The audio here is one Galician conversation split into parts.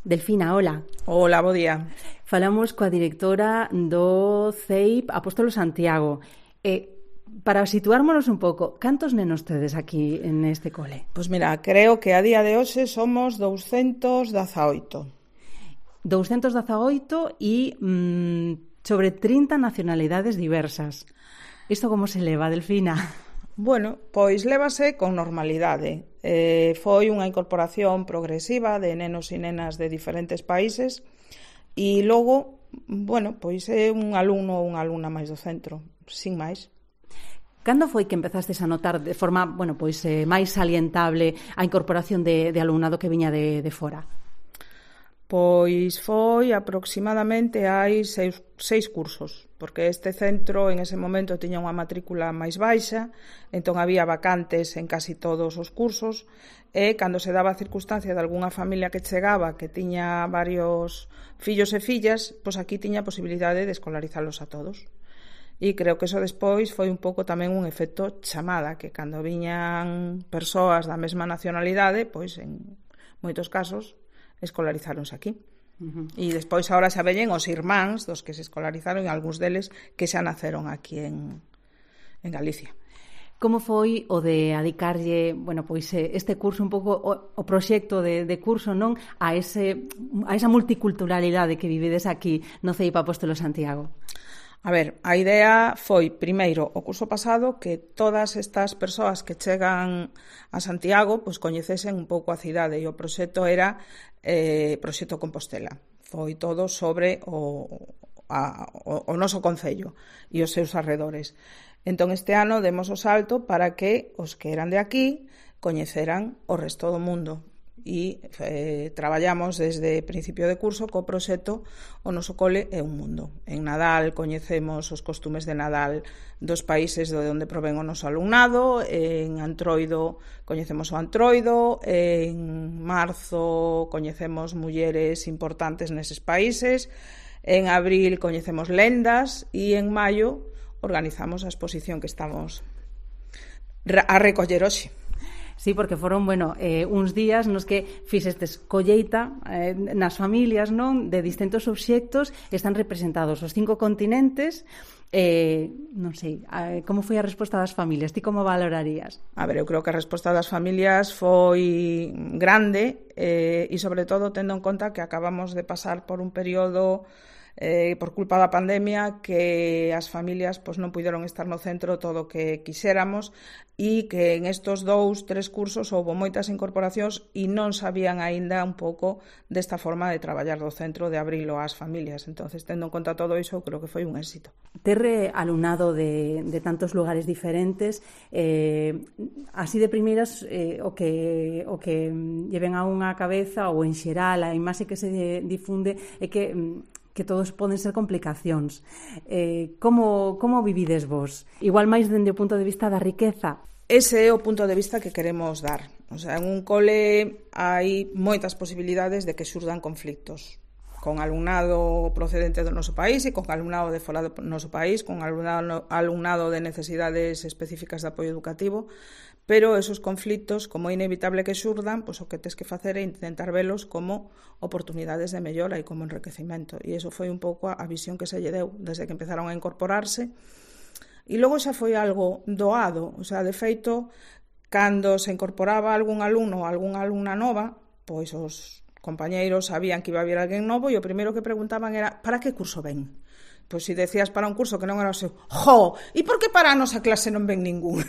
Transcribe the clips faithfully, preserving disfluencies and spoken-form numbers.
Delfina, hola. Hola, bo día. Falamos coa directora do C E I P Apóstolo Santiago. Eh, para situármonos un pouco, cantos nenos tedes aquí neste cole? Pois mira, creo que a día de hoxe somos douscentos dezaoito. douscentos dezaoito e mm, sobre trinta nacionalidades diversas. Isto como se leva, Delfina? Bueno, pois lévase con normalidade. Eh, foi unha incorporación progresiva de nenos e nenas de diferentes países e logo, bueno, pois é un alumno ou unha alumna máis do centro, sin máis. Cando foi que empezastes a notar de forma, bueno, pois eh, máis salientable a incorporación de, de alumnado que viña de, de fora? Pois foi aproximadamente hai seis, seis cursos, porque este centro en ese momento tiña unha matrícula máis baixa, entón había vacantes en casi todos os cursos, e cando se daba a circunstancia de algunha familia que chegaba que tiña varios fillos e fillas, pois aquí tiña a posibilidade de escolarizalos a todos. E creo que eso despois foi un pouco tamén un efecto chamada, que cando viñan persoas da mesma nacionalidade, pois en moitos casos escolarizáronse aquí. Uh-huh. E despois agora xa veñen os irmáns dos que se escolarizaron e algúns deles que xa naceron aquí en, en Galicia. Como foi o de adicarlle, bueno, pois este curso un pouco o, o proxecto de, de curso, non, a ese a esa multiculturalidade que vivedes aquí no C E I P Apóstolo Santiago? A ver, a idea foi, primeiro, o curso pasado, que todas estas persoas que chegan a Santiago pois coñecesen un pouco a cidade, e o proxecto era eh, proxecto Compostela. Foi todo sobre o, a, o, o noso concello e os seus arredores. Entón, este ano demos o salto para que os que eran de aquí coñeceran o resto do mundo. E eh, traballamos desde principio de curso co proxecto O noso cole é un mundo. En Nadal coñecemos os costumes de Nadal dos países de onde provén o noso alumnado, en Antroido coñecemos o Antroido, en marzo coñecemos mulleres importantes neses países, en abril coñecemos lendas e en maio organizamos a exposición que estamos a recoller hoxe. Sí, porque foron, bueno, eh, uns días nos que fixestes colleita eh, nas familias, non, de distintos obxectos, están representados os cinco continentes. Eh, non sei, eh, como foi a resposta das familias? Ti como valorarías? A ver, eu creo que a resposta das familias foi grande eh, e sobre todo tendo en conta que acabamos de pasar por un período Eh, por culpa da pandemia que as familias pois, non puideron estar no centro todo o que quixéramos e que en estos dous, tres cursos houve moitas incorporacións e non sabían aínda un pouco desta forma de traballar do centro, de abrilo ás familias. Entonces, tendo en conta todo iso, creo que foi un éxito. Ter alumnado de, de tantos lugares diferentes, eh, así de primeiras, eh, o que o que lleven a unha cabeza ou en xeral a imaxe que se difunde é que que todos poden ser complicacións. Eh, como, como vivides vos? Igual máis dende o punto de vista da riqueza? Ese é o punto de vista que queremos dar. O sea, en un cole hai moitas posibilidades de que xurdan conflictos. Con alumnado procedente do noso país e con alumnado de fora do noso país, con alumnado, alumnado de necesidades específicas de apoio educativo, pero esos conflictos, como é inevitable que xurdan, pois o que tes que facer é intentar velos como oportunidades de mellora e como enriquecimento. E iso foi un pouco a visión que se lle deu desde que empezaron a incorporarse. E logo xa foi algo doado. O sea, de feito, cando se incorporaba algún alumno ou algunha alumna nova, pois os compañeiros sabían que iba a vir alguén novo e o primeiro que preguntaban era para que curso ven? Pois se decías para un curso que non era o seu, jo, e por que para a nosa clase non ven ningún?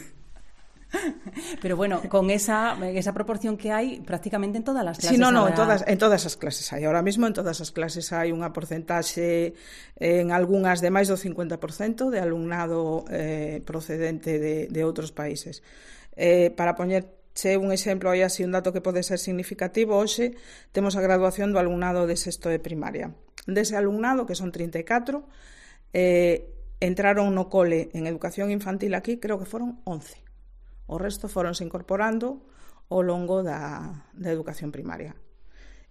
Pero bueno, con esa esa proporción que hai prácticamente en todas as clases. Sí, no, no, ahora... en todas en todas as clases hai. Ahora mesmo en todas as clases hai unha porcentaxe en algunhas de máis do cincuenta por cento de alumnado eh, procedente de, de outros países. Eh, para poñerche un exemplo, hai así un dato que pode ser significativo, hoxe temos a graduación do alumnado de sexto de primaria. Dese alumnado, que son trinta e catro, eh, entraron no cole en educación infantil aquí, creo que foron once. O resto foronse incorporando ao longo da, da educación primaria.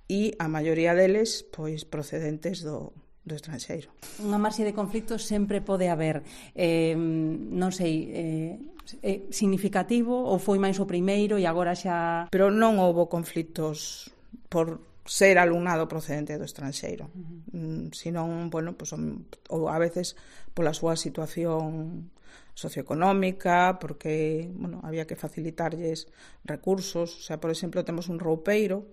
E a maioría deles, pois, procedentes do, do estranxeiro. Unha marxe de conflitos sempre pode haber. Eh, non sei, eh, é significativo ou foi máis o primeiro e agora xa... Pero non houbo conflitos por ser alumnado procedente do estranxeiro. Uh-huh. Senón, bueno, pues, ou a veces pola súa situación socioeconómica, porque, bueno, había que facilitarlles recursos. O sea, por exemplo, temos un roupeiro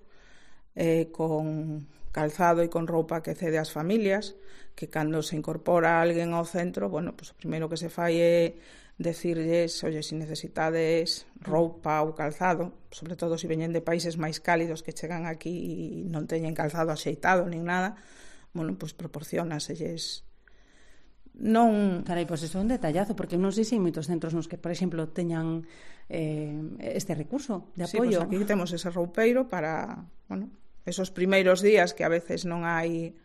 eh, con calzado e con roupa que cede ás familias, que cando se incorpora alguén ao centro, bueno, pues o primeiro que se fai é decirlles, oye, se si necesitades roupa ou calzado, sobre todo se si veñen de países máis cálidos que chegan aquí e non teñen calzado axeitado nin nada, bueno, pois pues proporcionaselles. Non... Carai, pois pues iso é un detallazo, porque non sei se hai moitos centros nos que, por exemplo, teñan eh, este recurso de apoio. Sí, pois pues aquí temos ese roupeiro para, bueno, esos primeiros días que a veces non hai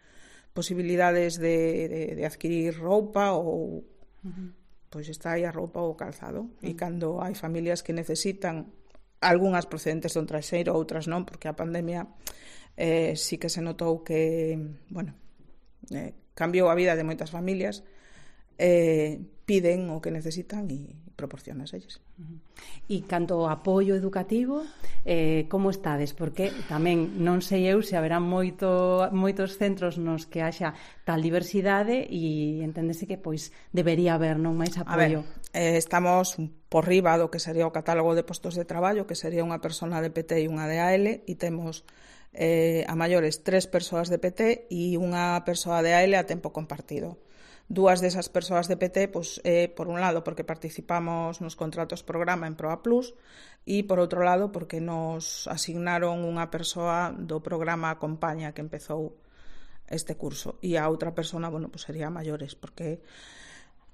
posibilidades de, de, de adquirir roupa ou... Uh-huh. Pois está aí a roupa ou o calzado. Uh-huh. E cando hai familias que necesitan, algunhas procedentes do estranxeiro, outras non, porque a pandemia eh, sí que se notou que, bueno, eh, cambiou a vida de moitas familias, eh, piden o que necesitan e proporcionas elles. Uh-huh. E canto ao apoio educativo, eh, como estades? Porque tamén non sei eu se haberá moito, moitos centros nos que haxa tal diversidade e enténdese que pois debería haber non máis apoio. A ver, eh, estamos por riba do que sería o catálogo de postos de traballo, que sería unha persona de P T e unha de A L, e temos eh, a maiores tres persoas de P T e unha persoa de A L a tempo compartido. Dúas desas persoas de P T, pois, eh, por un lado, porque participamos nos contratos programa en Proa Plus, e por outro lado, porque nos asignaron unha persoa do programa Acompaña que empezou este curso, e a outra persona, bueno, pois sería maiores, porque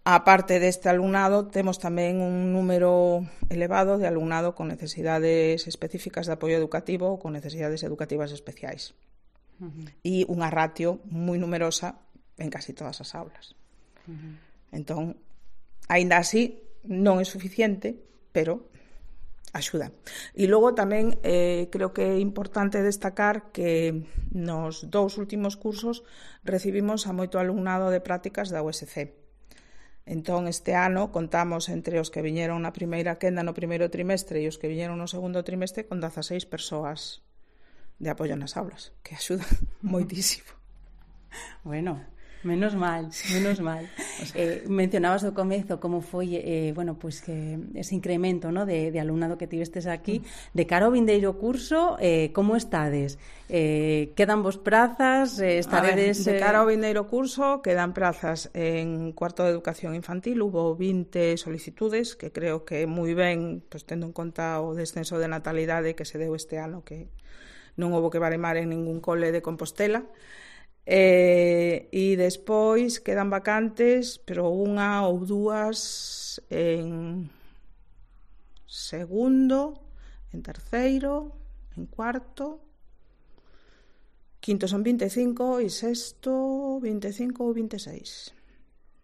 a parte deste alumnado temos tamén un número elevado de alumnado con necesidades específicas de apoio educativo ou con necesidades educativas especiais. Uh-huh. E unha ratio moi numerosa en casi todas as aulas. Uh-huh. Entón, aínda así, non é suficiente, pero axuda. E logo tamén eh, creo que é importante destacar que nos dous últimos cursos recibimos a moito alumnado de prácticas da U S C. Entón, este ano contamos entre os que viñeron na primeira quenda no primeiro trimestre e os que viñeron no segundo trimestre con dezaseis persoas de apoio nas aulas, que axuda moitísimo. Bueno, menos mal, menos mal. O sea, eh, mencionabas ao comezo como foi eh, bueno, pues que ese incremento, ¿no? de, de alumnado que tivestes aquí. De cara ao vindeiro curso, eh, como estades? Eh, quedan vos prazas? Eh, estaredes... A ver, de cara ao vindeiro curso quedan prazas en cuarto de educación infantil. Hubo vinte solicitudes, que creo que moi ben, pues, tendo en conta o descenso de natalidade que se deu este ano, que non houbo que baremar en ningún cole de Compostela. Eh, e despois quedan vacantes, pero unha ou dúas en segundo, en terceiro, en cuarto, quinto son vinte e cinco e sexto vinte e cinco ou vinte e seis.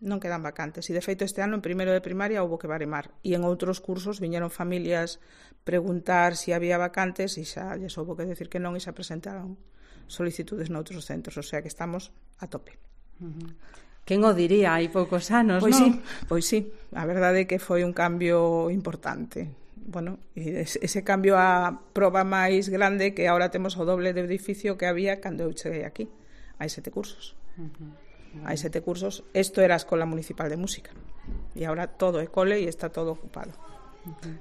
Non quedan vacantes. E de feito este ano en primeiro de primaria houbo que baremar, e en outros cursos viñeron familias preguntar se si había vacantes e xa lles houbo que decir que non e xa presentaron solicitudes noutros centros, o sea que estamos a tope. Uh-huh. Quen o diría hai poucos anos, pois non? Sí, pois sí, a verdade é que foi un cambio importante. Bueno, ese cambio a proba máis grande, que agora temos o doble de edificio que había cando eu cheguei aquí. Hai sete cursos. Uh-huh. Hai sete cursos. Isto era a Escola Municipal de Música. E agora todo é cole e está todo ocupado. Uh-huh.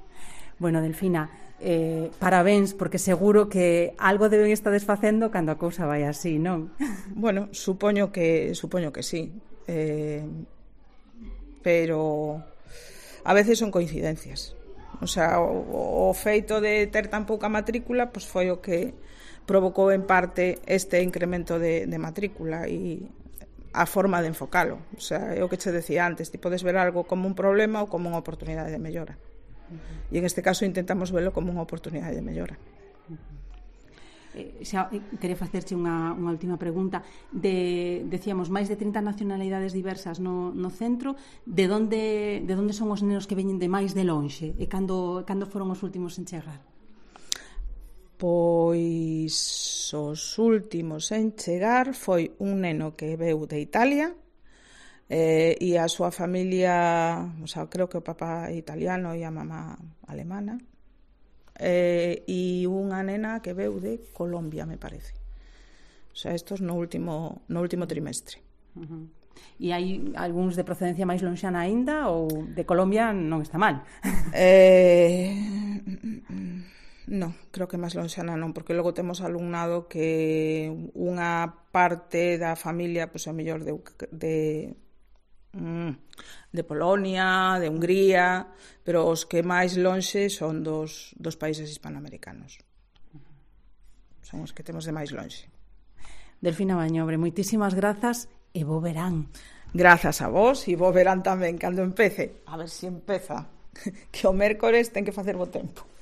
Bueno, Delfina, eh, parabéns, porque seguro que algo deben estar desfacendo cando a cousa vai así, non? Bueno, supoño que supoño que sí. Eh, pero a veces son coincidencias. O sea, o, o feito de ter tan pouca matrícula, pois foi o que provocou en parte este incremento de, de matrícula e a forma de enfocalo. O sea, é o que che decía antes, ti podes ver algo como un problema ou como unha oportunidade de mellora. Uh-huh. E en este caso intentamos verlo como unha oportunidade de mellora. Uh-huh. Eh, xa, quería facerche unha, unha última pregunta. De, decíamos, máis de trinta nacionalidades diversas no, no centro. De onde, de onde son os nenos que veñen de máis de lonxe? E cando, cando foron os últimos en chegar? Pois os últimos en chegar foi un neno que veu de Italia, Eh, e a súa familia, o sea, creo que o papá é italiano e a mamá alemana, eh, e unha nena que veu de Colombia, me parece. sea, estos no último, no último trimestre. Uh-huh. E hai algúns de procedencia máis lonxana aínda ou de Colombia non está mal? Eh, non, creo que máis lonxana non, porque logo temos alumnado que unha parte da familia, pois, a mellor de, de de Polonia, de Hungría, pero os que máis lonxe son dos, dos países hispanoamericanos. Son os que temos de máis lonxe. Delfina Bañobre, moitísimas grazas e bo verán. Grazas a vos e bo verán tamén cando empece. A ver se empeza, que o mércores ten que facer bo tempo.